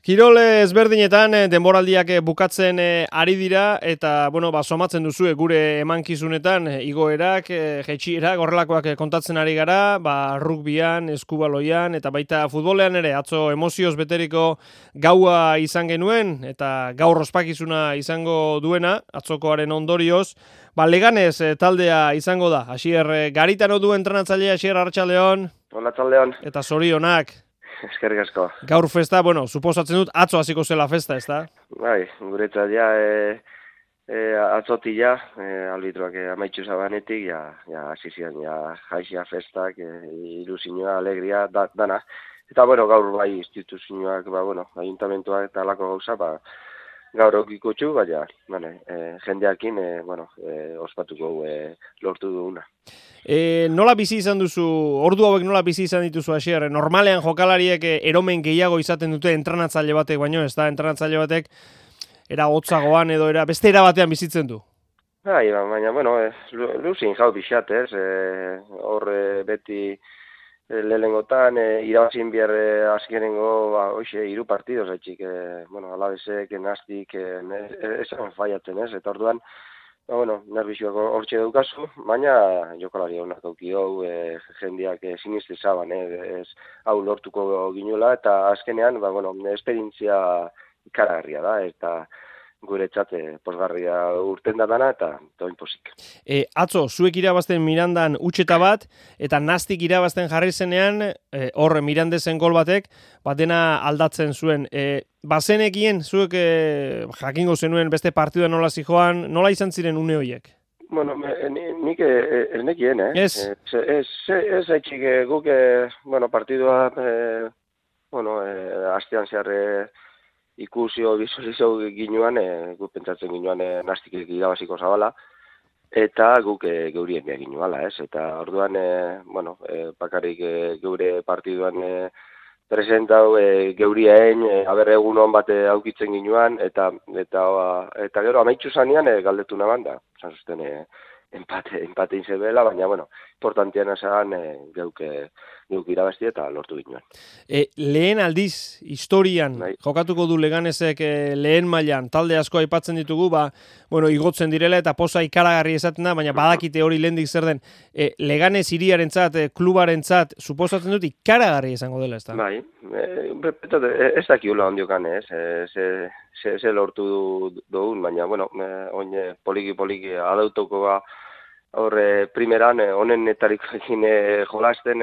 Kirol ezberdinetan denboraldiak bukatzen ari dira eta somatzen duzue gure emankizunetan igoerak, jaitsierak horrelakoak kontatzen ari gara, rugbyan, eskubaloian eta baita futbolean ere atzo emozioz beteriko gaua izan genuen eta gaur ospakizuna izango duena atzokoaren ondorioz, Leganés taldea izango da. Asier Garitano du entrenatzailea, Asier Arratsaldeon. Hola, Arratsaldeon. Eta zorionak. Eskerrik asko. Gaur festa, suposatzen dut, atzo hasiko zela festa, ez da? Bai, guretzat atzoti albitroak amaitxu zabanetik, hasi ziren, jaixia festak, ilusioa, alegria, dana. Eta, gaur bai instituzioak, ayuntamentuak eta alako gauza, gaur okikotxu, jendeakin, ospatuko lortu duguna. Nola bizi izan duzu, ordu hauek nola bizi izan dituzu, Asier? Normalean jokalariek eromen gehiago izaten dute entrenatzaile batek, baino ez da, entrenatzaile batek era hotzagoan edo beste era batean bizitzen du. Bai, baina, luzin jau bixat, ez? Hor beti lehengotan, irabazin behar azkenengo, hiru partidos, etxik, alabezek, nastik, esan faiatzen, ez? Eta orduan, nervizioak hortxe daukazu, baina jokalari honak auki hau, jendeak siniste zaban, hau lortuko ginuela, eta azkenean, esperientzia ikaragarria da, eta guretzat posgarria urten da dana, eta toin posik. Atzo, zuek irabazten Mirandan utxeta bat, eta nastik irabazten jarri zenean, hor Mirandezen gol batek, dena aldatzen zuen. Bazenekien, zuek jakingo zenuen beste partidua nola zijoan, nola izan ziren une horiek? Nik ez nekien, Ez? Ez haitxik guk, partidua, astean zehar ikusio, bizualizio ginuan, guk pentsatzen ginuan nastik irabaziko zabala, eta guk geurien behar ginuala, ez? Eta orduan, bakarrik geure partiduan presentau geuriaen, egun hon bat aukitzen ginuan, eta gero amaitxu zanean galdetu naban da. Zan zuzten empatein zebela, baina, importantiana zan geuk irabazti eta lortu ginuan. Lehen aldiz, historian, jokatuko du Leganesek lehen mailan, talde asko aipatzen ditugu, igotzen direla eta poza ikaragarri esaten da, baina badakite hori lehendik zer den. Leganes hiriarentzat, klubarentzat, suposatzen dut ikaragarri izango dela, ez da? Bai, ez dakiula ondiokan, ez? Ze lortu dugun, baina, oin poliki adautuko horre primeran, honenetariko egin jolasten,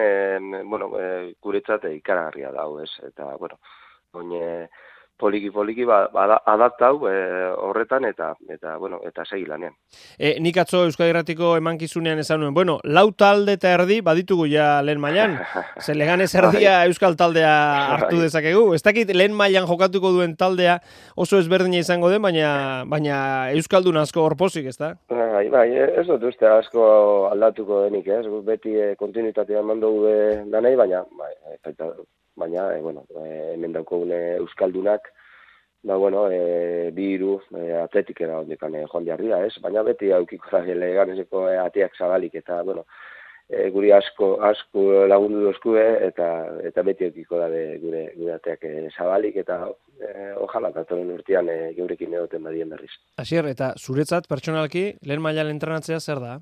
guretzat ikaragarria dago, ez? Eta, oin poliki adaptau horretan eta segi lanean. Nik atzo Euskadi Irratiko emankizunean esan nuen, lau talde eta erdi baditugu ja lehen mailan. Ze Leganes erdia Euskal taldea hartu dezakegu. Ez dakit lehen mailan jokatuko duen taldea oso ezberdina izango den, baina Euskaldun asko horpozik, ez da? Bai, ez dut uste asko aldatuko denik, ez? Beti kontinuitatea mandogu danei, baina hemen daukogune Euskaldunak, biru atletikera ondekan joan jarri da, ez? Baina beti aukiko da Leganeseko ateak zabalik, eta, guri asko lagundu dozkue, eta beti aukiko da gure ateak zabalik, eta ojala, datoren urtean geurekin egoten badien berriz. Asier, eta zuretzat, pertsonalki, lehen mailan entrenatzea zer da?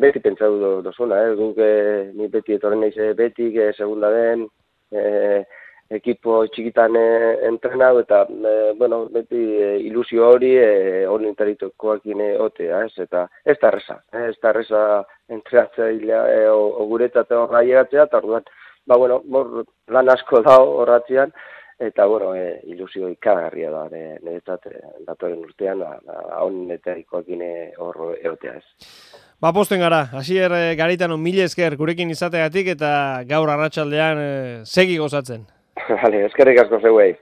Beti pentsatu dozuna, guk ni beti etorren naiz betik, segunda den, ekipo txikitan entrenau, eta, beti ilusio hori honetaritokoakin otea, ez? Eta ez da erreza entrenatzailea guretzat horra llegatzea, eta orduan, lan asko da horratzean, eta, ilusio ikagarria da, niretzat, datoren urtean, honetarikoakin hor egotea, ez. Posten gara, Asier Garitano, mila esker gurekin izateagatik eta gaur arratsaldean segi gozatzen. Eskerrik asko zeuei.